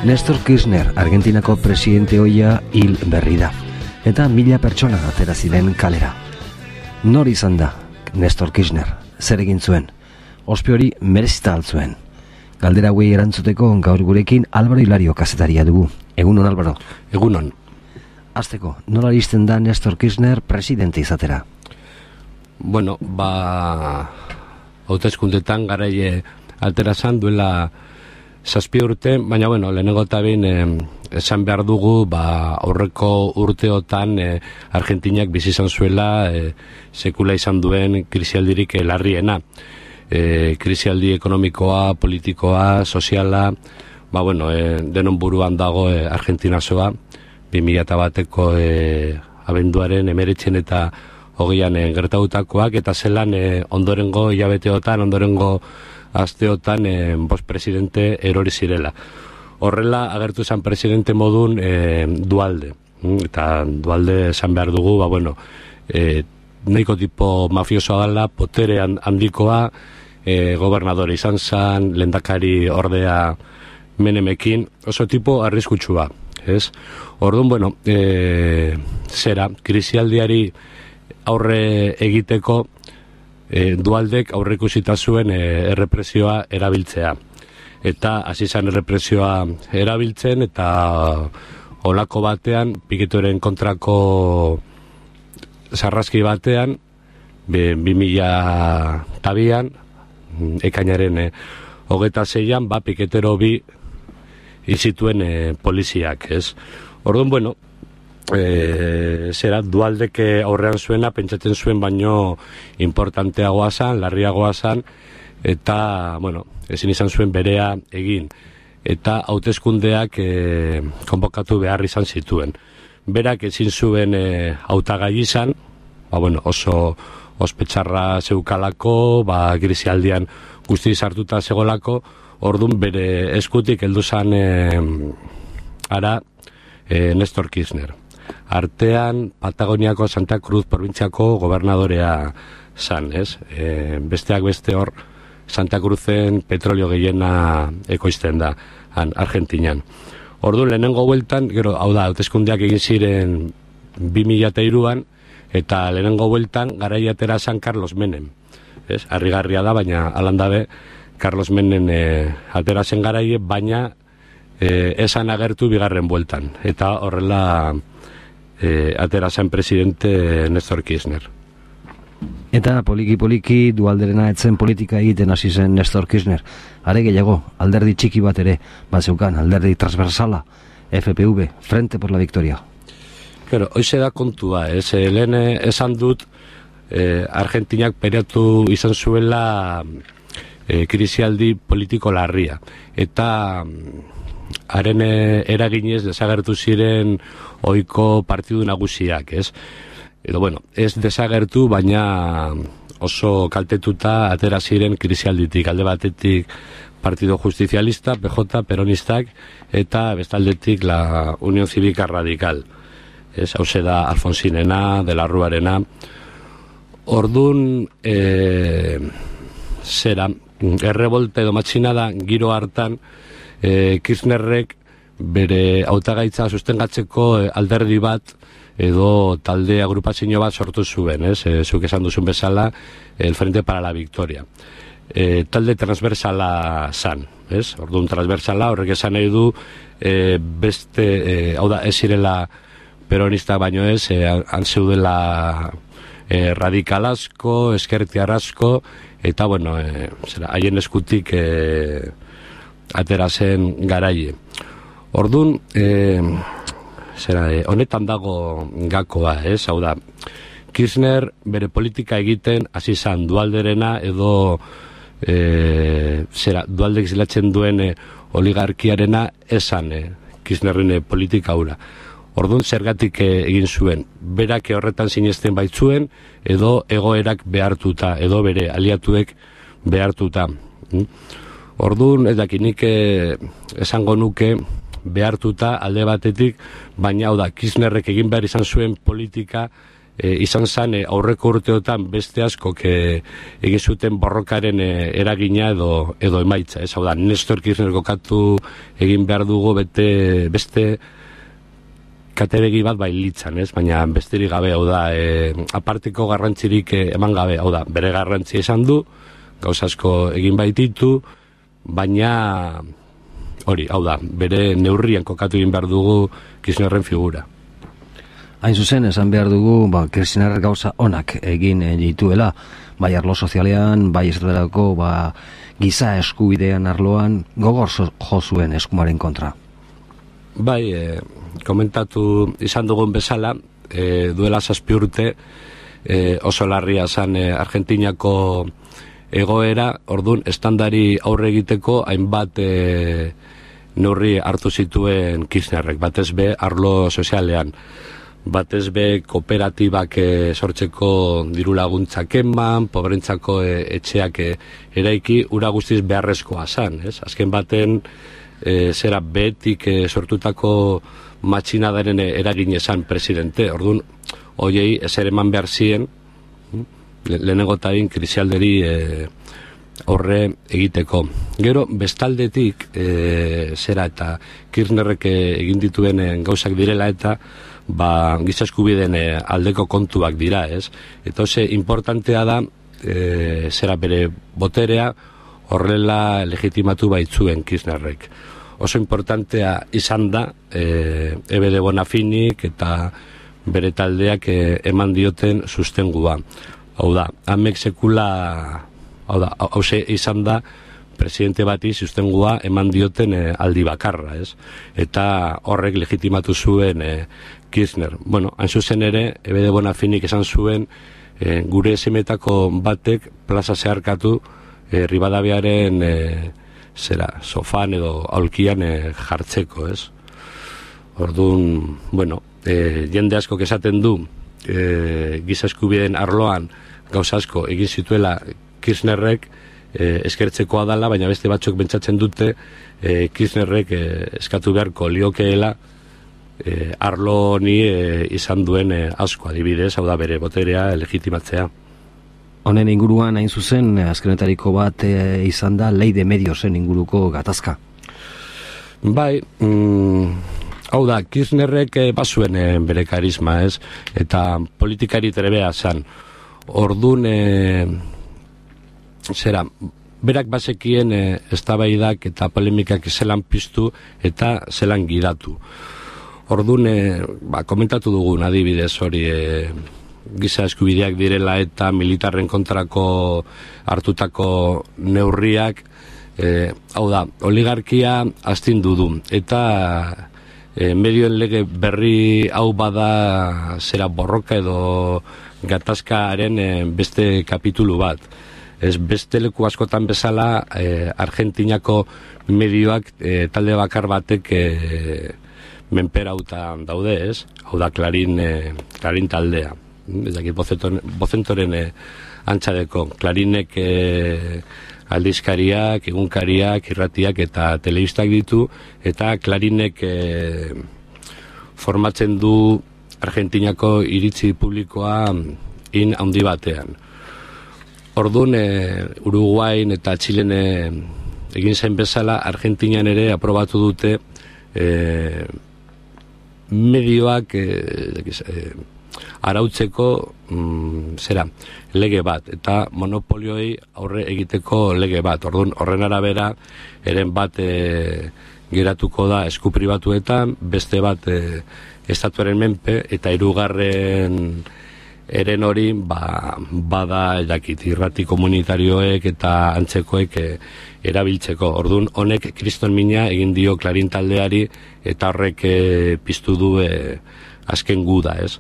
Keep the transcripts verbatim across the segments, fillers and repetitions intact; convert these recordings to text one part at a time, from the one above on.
Néstor Kirchner, Argentinako presidente ohia hil berri da. Eta mila pertsona atera ziren kalera. Nor izan da Néstor Kirchner? Zer egin zuen? Ospe hori merezita altzuen. Galdera hauei erantzuteko gaur gurekin Álvaro Hilario kazetaria dugu. Egunon, Álvaro. Egunon. Hasteko, nola iristen da Néstor Kirchner presidente izatera? Bueno, ba... hauteskundetan garaie alterazan duela zazpi urte, baina, bueno, lehenengo eta behin eh, esan behar dugu, ba, aurreko urteotan eh, Argentinak bizi izan zuela eh, sekula izan duen krisialdirik larriena. Eh, krisialdi ekonomikoa, politikoa, soziala, ba, bueno, eh, denon buruan dago eh, Argentinazoa, bi mila bateko eh, abenduaren emeretzen eta hogeian eh, gertautakoak, eta zelan eh, ondorengo hilabeteotan, ondorengo asteotan eh, bost presidente erori zirela. Horrela agertu zen presidente modun eh, Dualde. Eta Dualde esan behar dugu, ba, bueno, eh, nahiko tipo mafiosoa dela, potere handikoa, eh, gobernadore izan zen, lehendakari ordea Menemekin, oso tipo arriskutsua, ez? Orduan, bueno, eh, zera, krisialdiari aurre egiteko e, Dualdek aurreikusita zuen e, errepresioa erabiltzea. Eta hasi zen errepresioa erabiltzen, eta olako batean, piketoren kontrako sarraski batean, bi mila tabian, ekainaren e, hogeta zeian, ba, piketero bi izituen e, poliziak, ez? Orduan, bueno, E, zera, Dualdek aurrean zuena pentsatzen zuen baino importanteagoa zan, larriagoa zan, eta, bueno, ezin izan zuen berea egin, eta hauteskundeak e, konbokatu behar izan zituen. Berak ezin zuen e, hautagai izan, ba, bueno, oso ospetsarra zeukalako, ba, grisialdian guzti sartuta zegolako, ordun bere eskutik heldu zan e, ara e, Néstor Kirchner. Artean Patagoniako Santa Cruz probintziako gobernadorea zan, ez? E, besteak beste hor Santa Cruzen petrolio gehiena ekoizten da, han, Argentinan. Orduan, lehenengo bueltan, gero, hau da, hauteskundeak egin ziren bi mila hiruan, eta lehenengo bueltan garaia atera zan Carlos Menem. Ez? Harrigarria da, baina alandabe Carlos Menem e, atera zen garaie, baina e, esan agertu bigarren bueltan. Eta horrela E, atera zen presidente Néstor Kirchner. Eta poliki-poliki Dualderena etzen politika egiten hasi zen Néstor Kirchner. Are gehiago, alderdi txiki bat ere, bat zeukan, alderdi transversala, F P V, Frente por la Victoria. Pero, hoize da kontua, ez, lehen esan dut, eh, Argentinak periatu izan zuela eh, krisialdi politiko larria. Eta haren eraginez desagertu ziren ohiko partidu nagusiak, ez? Edo, bueno, ez desagertu, baina oso kaltetuta atera ziren krisialditik. Alde batetik Partido Justizialista, P J, Peronistak, eta bestaldetik la Unión Cívica Radical. Ez, hauze da Alfonsinena, de la Ruarena. Ordun, e, zera, errevolte edo matxinada giro hartan, E, Kirchnerrek bere hautagaitza sustengatzeko e, alderdi bat edo talde agrupazio bat sortu zuen, ez? E, zuk esan duzun bezala, el Frente para la Victoria. E, talde transversala zan, ez? Orduan transversala, horrek esan nahi du e, beste, e, hau da, ez zirela peronista baino ez, e, han zeudela e, radikal asko, ezkertiar asko, eta, bueno, e, zera, haien eskutik e, atera zen garaie. Ordun, eh, zera, eh, honetan dago gakoa, ez? Hau da, Kirchner bere politika egiten hasi zan Dualderena edo eh, zera, Dualdek zilatzen duen eh, oligarkiarena esan eh, Kirchnerren eh, politika hura. Ordun, zergatik eh, egin zuen, berak horretan sinesten baitzuen edo egoerak behartuta, edo bere aliatuek behartuta. Mm? Orduan, ez dakinik esango nuke behartuta alde batetik, baina hau da, Kirchnerrek egin behar izan zuen politika e, izan zen e, aurreko urteotan beste askok e, egin zuten borrokaren e, eragina edo edo emaitza, ez? Hau da, Nestor Kirchner kokatu egin behar dugu bete, beste katebegi bat bailitzan, ez? Baina besterik gabe, hau da, e, aparteko garrantzirik e, eman gabe, hau da, bere garrantzia izan du, gauza asko egin baititu, baina hori, hau da, bere neurrian kokatu egin behar dugu Kirchnerren figura. Hain zuzen, esan behar dugu, ba, Kirchner gauza onak egin dituela, bai arlo sozialean, bai esaterako, ba, giza eskubidean arloan, gogor jo zuen eskumaren kontra. Bai, e, komentatu izan dugun bezala, e, duela zazpi urte, e, oso larria zan e, Argentinako egoera, ordun estandari aurre egiteko hainbat e, neurri hartu zituen Kirchnerrek, batez be arlo sozialean. Batez be kooperatibak e, sortzeko diru laguntzak eman, pobrentzako e, etxeak e, eraiki, ura guztiz beharrezkoa zan, ez? Azken baten, e, zera behetik e, sortutako matxinadaren e, eragin esan presidente, orduan, hoiei ezer eman behar zien, le, lehenengo tain krisialderi e, horre egiteko. Gero, bestaldetik, e, zera eta Kirchnerrek egin dituen e, gauzak direla eta ba, giza eskubideen e, aldeko kontuak dira, ez? Eta oso importantea da, e, zera bere boterea horrela legitimatu baitzuen Kirchnerrek. Oso importantea izan da, e, Ebe de Bonafinik eta bere taldeak e, eman dioten sustengua. Hau da, amek sekula, hau da, hause izan da, presidente bati sustengua eman dioten e, aldi bakarra, ez? Eta horrek legitimatu zuen e, Kirchner. Bueno, hain zuzen ere, Ebe de Bonafinik esan zuen e, gure esemetako batek plaza zeharkatu e, Ribadaviaren e, zera, sofan edo aulkian e, jartzeko, ez? Orduan, bueno, e, jende asko esaten du e, giza eskubideen arloan gauza asko egin zituela Kirchnerrek, e, eskertzekoa dala, baina beste batzuk pentsatzen dute e, Kirchnerrek e, eskatu beharko liokeela e, arlo honi e, izan duen e, asko, adibidez, hau da bere boterea legitimatzea. Honen inguruan hain zuzen, azkenetariko bat e, izan da lei de mediosen inguruko gatazka. Bai, mm, hau da, Kirchnerrek e, bazuen e, bere karisma, ez? Eta politikari trebea zan. Ordun e, zera, berak bazekien e, eztabaidak eta polemikak zelan piztu eta zelan gidatu. Ordun, e, ba, komentatu dugun adibidez hori e, giza eskubideak direla eta militarren kontrako hartutako neurriak, e, hau da, oligarkia astindu du eta e, medioen lege berri hau bada zera borroka edo gatazkaren e, beste kapitulu bat. Ez beste leku askotan bezala e, Argentinako medioak e, talde bakar batek e, menperautan daude, ez? Hau da Clarín, e, Clarín taldea. Ez dakit bozentoren e, antxadeko. Clarínek e, aldizkariak, egunkariak, irratiak eta telebistak ditu, eta Clarínek e, formatzen du Argentinako iritzi publikoa in handi batean. Orduan, e, Uruguain eta Txilen e, egin zen bezala, Argentinian ere aprobatu dute e, medioak e, e, arautzeko mm, zera, lege bat, eta monopolioi aurre egiteko lege bat. Orduan, horren arabera, eren bat e, geratuko da esku pribatuetan, beste bat e, estatuaren menpe, eta hirugarren eren hori ba, bada edakit, irrati komunitarioek eta antzekoek e, erabiltzeko. Orduan, honek kriston mina egin dio Clarín taldeari eta horrek e, piztu du e, azken guda, ez?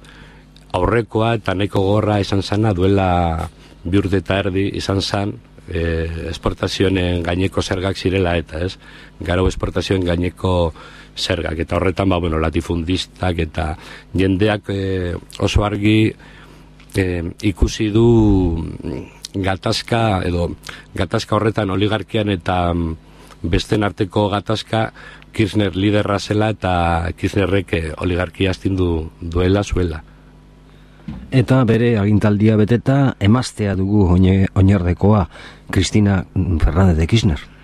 Aurrekoa eta nahiko gorra izan zana duela bi urte eta erdi izan zan e, esportazioen gaineko zergak zirela eta, ez? Garo esportazioen gaineko zergak eta horretan, ba, bueno, latifundistak eta jendeak e, oso argi E, ikusi du gatazka edo gatazka horretan oligarkian eta besten arteko gatazka Kirchner liderra zela eta Kirchnerrek oligarkia astindu duela zuela. Eta bere agintaldia beteta emaztea dugu oinerdekoa, Cristina Fernández de Kirchner.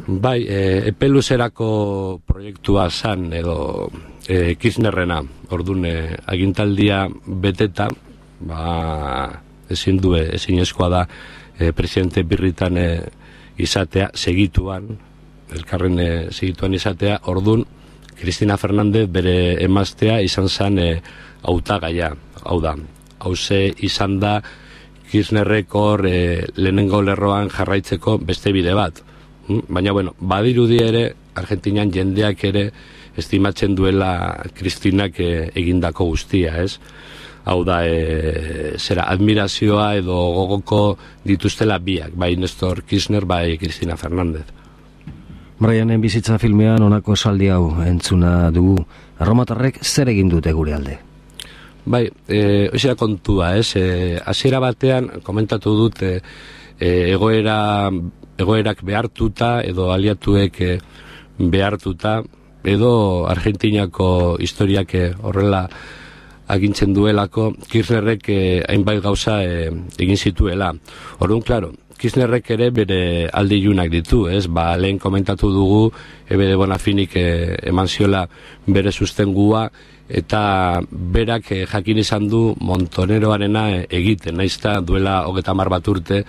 Bai, e, epeluzerako proiektua zan edo e, Kirchnerrena, orduan e, agintaldia beteta, ba, ezin du, ezin eskoa da e, presidente birritan e, izatea, segituan, elkarren e, segituan izatea, orduan Cristina Fernández bere emaztea izan zan e, hautagaia, hau da, hauze izan da Kirchnerrekor e, lehenengo lerroan jarraitzeko beste bide bat. Baina, bueno, badirudi ere, Argentinan jendeak ere estimatzen duela Kristinak e, egindako guztia, ez? Hau da, e, zera, admirazioa edo gogoko dituztela biak, bai Nestor Kirchner, bai Cristina Fernández. Brianen bizitza filmean honako esaldi hau entzuna dugu. Erromatarrek zer egin dute gure alde? Bai, e, oizera kontua, ez? E, hasiera batean, komentatu dut, e, egoera... egoerak behartuta edo aliatuek behartuta edo Argentinako historiak horrela agintzen duelako Kirchnerrek hainbait gauza egin zituela. Orduan, klaro, Kirchnerrek ere bere alde ilunak ditu, ez? Ba, lehen komentatu dugu Ebe de Bonafinik eman ziola bere sustengua eta berak jakin izan du Montoneroarena egiten, naizta duela hogeta hamar bat urte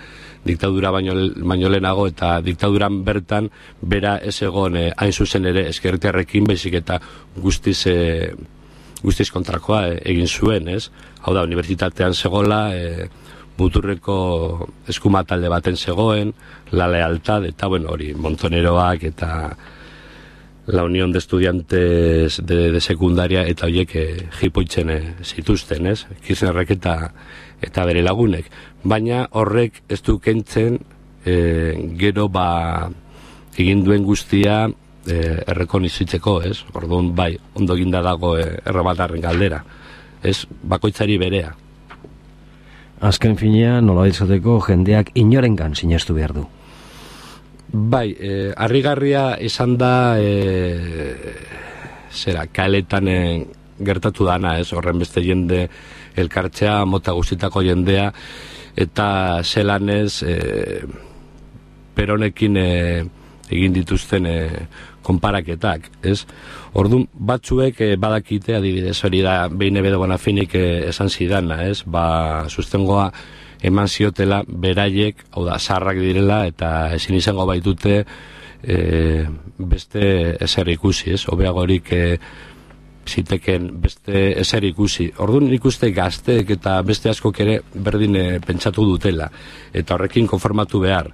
diktadura baino, baino lehenago eta diktaduran bertan bera ez egon eh, hain zuzen ere ezkertiarrekin baizik eta guztiz, eh, guztiz kontrakoa eh, egin zuen, ez? Hau da, unibertsitatean zegoela, eh, muturreko eskuma talde baten zegoen, la lealtad, eta bueno, hori, Montoneroak eta la Unión de Estudiantes de, de Secundaria eta horiek eh, jipoitzen eh, zituzten, ez? Kirchnerrek eta, eta bere lagunek. Baina horrek ez du kentzen eh, gero ba egin duen guztia eh, errekonizitzeko, ez? Orduan bai, ondo eginda dago eh, erromatarren galdera. Ez, bakoitzari berea. Azken finean, nola izateko jendeak inorengan sinestu behar du. Bai, eh, harrigarria izan da eh, zera, kaletan eh, gertatu dana, ez, horren beste jende elkartzea, mota guztitako jendea, eta zelan ez eh, peronekin eh, egin dituzten eh, konparaketak, ez? Orduan, batzuek eh, badakite, adibidez, hori da, behin Ebe de Bonafinik eh, esan zidana, ez? Ba, sustengoa eman ziotela beraiek, hau da, zarrak direla, eta ezin izango baitute e, beste ezer ikusi, ez? Hobeagorik e, ziteken beste ezer ikusi. Orduan ikuste gazteek eta beste askok ere berdin e, pentsatu dutela, eta horrekin konformatu behar.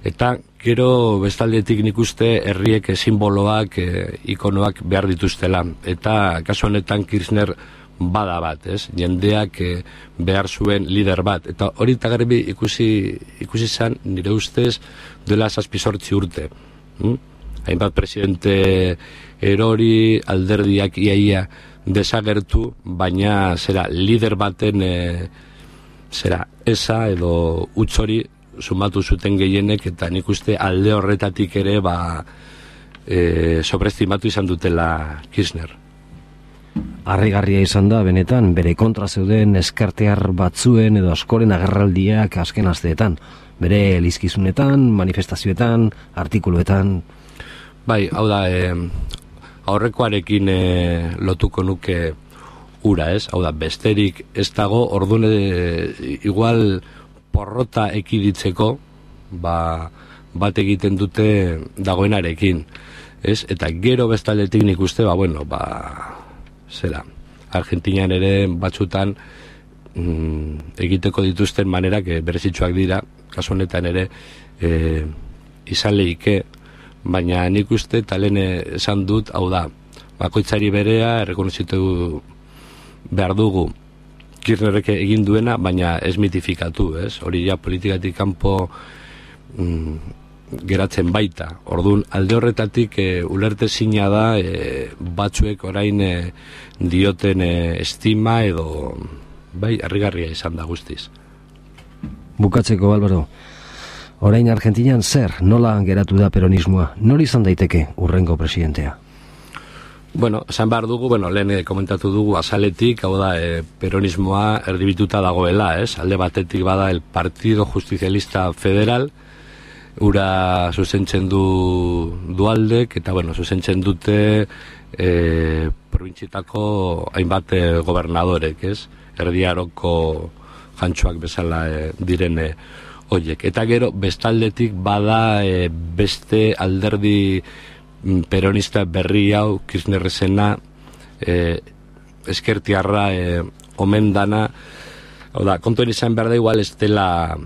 Eta gero bestaldetik nik uste herriek simboloak, e, ikonoak behar dituztela. Eta kasu honetan Kirchner bada bat, ez? Jendeak eh, behar zuen lider bat. Eta hori eta garbi ikusi, ikusi zan, nire ustez, duela zazpizortzi urte. Hmm? Hainbat presidente erori, alderdiak iaia desagertu, baina zera lider baten eh, zera esa edo utzori sumatu zuten gehienek, eta nik uste alde horretatik ere ba, eh, sobreestimatu izan dutela Kirchner. Harrigarria izan da, benetan, bere kontra zeuden eskartear batzuen edo askoren agerraldiak azken asteetan. Bere elizkizunetan, manifestazioetan, artikuluetan. Bai, hau da, e, aurrekoarekin e, lotuko nuke ura, ez? Hau da, besterik ez dago, orduan e, igual porrota ekiditzeko, ba, bat egiten dute dagoenarekin, ez? Eta gero bestaletik nik uste, ba, bueno, ba... zera, Argentinan ere batzutan mm, egiteko dituzten manerak e, berezitsuak dira, kasu honetan ere e, izan lehike, baina nik uste talen esan dut, hau da, bakoitzari berea errekonozitu behar dugu Kirchnerrek egin duena, baina ez mitifikatu, ez? Hori ja politikatik kanpo mm, geratzen baita. Orduan, alde horretatik e, ulertezina da e, batzuek orain e, dioten e, estima edo bai, harrigarria izan da guztiz. Bukatzeko, Álvaro, orain Argentinan zer, nola geratu da peronismoa? Nor izan daiteke urrengo presidentea? Bueno, esan behar dugu, bueno, lehen komentatu dugu azaletik, hau da, e, peronismoa erdibituta dagoela, ez? Alde batetik bada el Partido Justizialista Federal, ura zuzentzen du dualdek, eta, bueno, zuzentzen dute e, probintzietako hainbat e, gobernadorek, ez? Erdiaroko jantxoak bezala e, direne hoiek. Eta gero, bestaldetik bada e, beste alderdi peronista berri hau, Kirchnerrezena, eh, eskertiarra eh, omen dana, hau da, kontuen izan behar da igual ez dela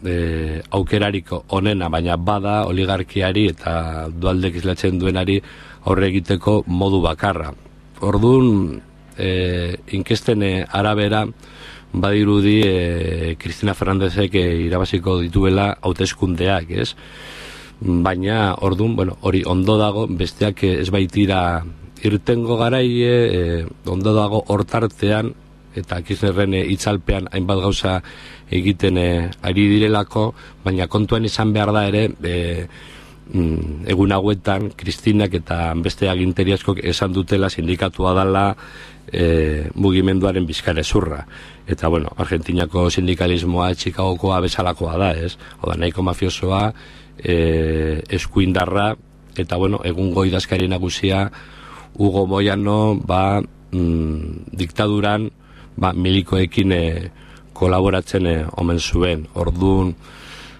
eh, aukerariko onena, baina bada oligarkiari eta dualdek izlatzen duenari aurre egiteko modu bakarra. Orduan, eh, inkesten eh, arabera, badirudi eh, Cristina Fernándezek eh, irabaziko dituela hauteskundeak, ez? Baina, orduan, bueno, hori ondo dago, besteak ez baitira irtengo garaie, e, ondo dago hortartean, eta Kirchnerren itzalpean hainbat gauza egiten e, ari direlako, baina kontuan izan behar da ere, e, mm, egun hauetan, Kristinak eta beste aginteri askok esan dutela sindikatua dela e, mugimenduaren bizkarezurra. Eta, bueno, Argentinako sindikalismoa Chicagokoa bezalakoa da, ez? Oda, nahiko mafiosoa, E, eskuindarra, eta bueno, egungo idazkari nagusia Hugo Moyano ba, mm, diktaduran ba, milikoekin e, kolaboratzen e, omen zuen, orduan,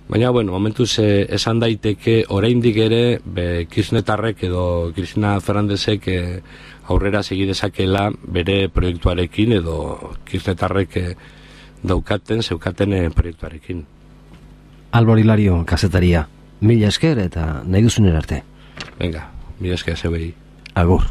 baina bueno, momentuz e, esan daiteke oraindik ere be, Kirchnertarrek edo Cristina Fernándezek e, aurrera segi dezakela bere proiektuarekin edo Kirchnertarrek e, daukaten, zeukaten e, proiektuarekin. Albor Hilario, kazetaria. Mila esker eta nahi duzunen arte. Venga, mila esker zebei. Agur.